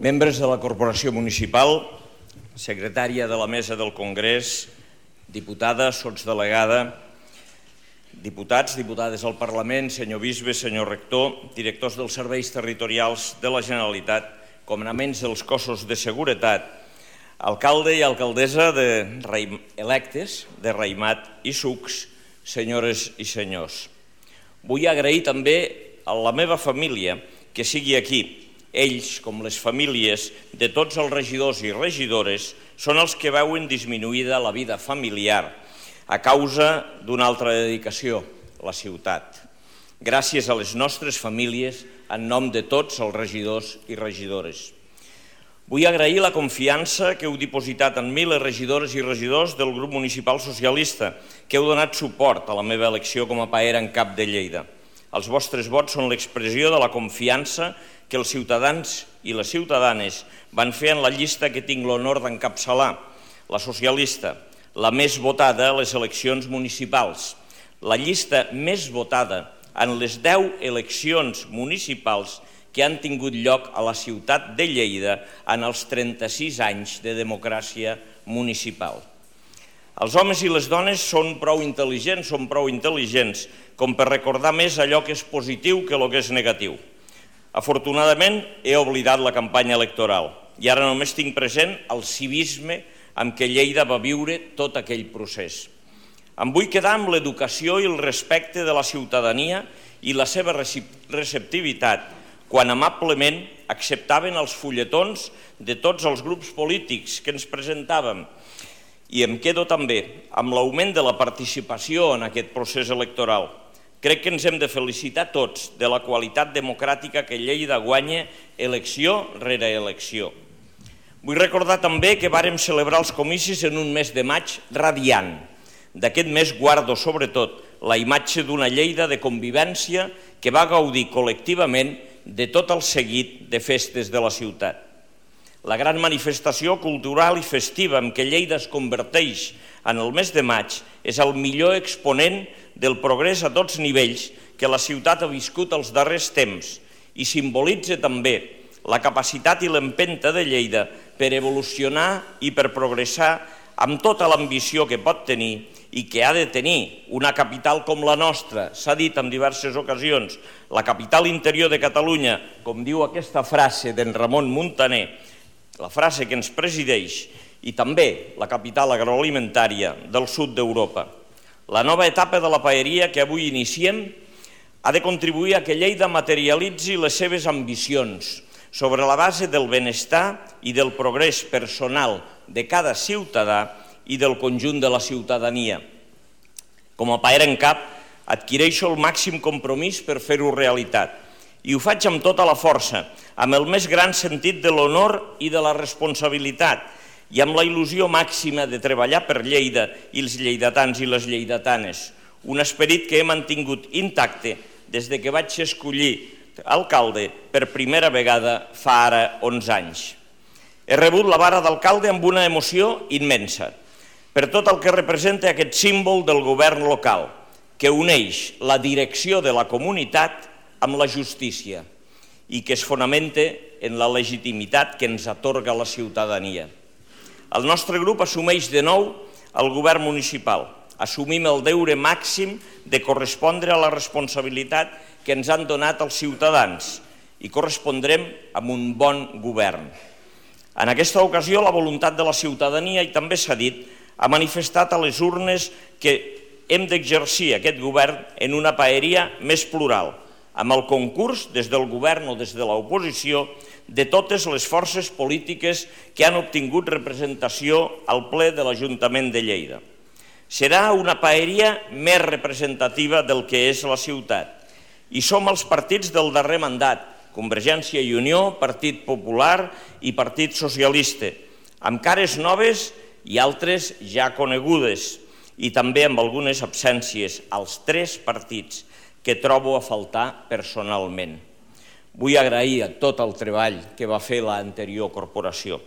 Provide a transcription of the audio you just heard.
membres de la Corporació Municipal, secretària de la Mesa del Congrés, diputada, sotsdelegada, diputats, diputades al Parlament, senyor bisbe, senyor rector, directors dels serveis territorials de la Generalitat, comandaments dels cossos de seguretat, alcalde i alcaldessa electes de Raïmat i Sucs, senyores i senyors. Vull agrair també a la meva família que sigui aquí. Ells, com les famílies de tots els regidors i regidores, són els que veuen disminuïda la vida familiar a causa d'una altra dedicació, la ciutat. Gràcies a les nostres famílies, en nom de tots els regidors i regidores. Vull agrair la confiança que heu dipositat en mi les regidores i regidors del grup municipal socialista, que heu donat suport a la meva elecció com a paera en cap de Lleida. Els vostres vots són l'expressió de la confiança que els ciutadans i les ciutadanes van fer en la llista que tinc l'honor d'encapçalar, la socialista, la més votada a les eleccions municipals, la llista més votada en les 10 eleccions municipals que han tingut lloc a la ciutat de Lleida en els 36 anys de democràcia municipal. Els homes i les dones són prou intel·ligents com per recordar més allò que és positiu que el que és negatiu. Afortunadament, he oblidat la campanya electoral i ara només tinc present el civisme amb què Lleida va viure tot aquell procés. Em vull quedar amb l'educació i el respecte de la ciutadania i la seva receptivitat quan amablement acceptaven els fulletons de tots els grups polítics que ens presentàvem. I em quedo també amb l'augment de la participació en aquest procés electoral. Crec que ens hem de felicitar tots de la qualitat democràtica que Lleida guanya elecció rere elecció. Vull recordar també que vàrem celebrar els comicis en un mes de maig radiant. D'aquest mes guardo, sobretot, la imatge d'una Lleida de convivència que va gaudir col·lectivament de tot el seguit de festes de la ciutat. La gran manifestació cultural i festiva en què Lleida es converteix en el mes de maig és el millor exponent del progrés a tots nivells que la ciutat ha viscut els darrers temps i simbolitza també la capacitat i l'empenta de Lleida per evolucionar i per progressar amb tota l'ambició que pot tenir i que ha de tenir una capital com la nostra, s'ha dit en diverses ocasions, la capital interior de Catalunya, com diu aquesta frase d'en Ramon Muntaner, la frase que ens presideix, i també la capital agroalimentària del sud d'Europa. La nova etapa de la paeria que avui iniciem ha de contribuir a que Lleida materialitzi les seves ambicions sobre la base del benestar i del progrés personal de cada ciutadà i del conjunt de la ciutadania. Com a paera en cap, adquireixo el màxim compromís per fer-ho realitat i ho faig amb tota la força, amb el més gran sentit de l'honor i de la responsabilitat i amb la il·lusió màxima de treballar per Lleida i els lleidatans i les lleidatanes, un esperit que he mantingut intacte des que vaig escollir alcalde per primera vegada fa ara 11 anys. He rebut la vara d'alcalde amb una emoció immensa, per tot el que representa aquest símbol del govern local, que uneix la direcció de la comunitat amb la justícia i que es fonamenta en la legitimitat que ens atorga la ciutadania. El nostre grup assumeix de nou el govern municipal. Assumim el deure màxim de correspondre a la responsabilitat que ens han donat els ciutadans i correspondrem amb un bon govern. En aquesta ocasió, la voluntat de la ciutadania, i també s'ha dit, ha manifestat a les urnes que hem d'exercir aquest govern en una paeria més plural, amb el concurs des del govern o des de l'oposició de totes les forces polítiques que han obtingut representació al ple de l'Ajuntament de Lleida. Serà una paeria més representativa del que és la ciutat. I som els partits del darrer mandat, Convergència i Unió, Partit Popular i Partit Socialista, amb cares noves i altres ja conegudes, i també amb algunes absències, als 3 partits que trobo a faltar personalment. Vull agrair a tot el treball que va fer l'anterior corporació.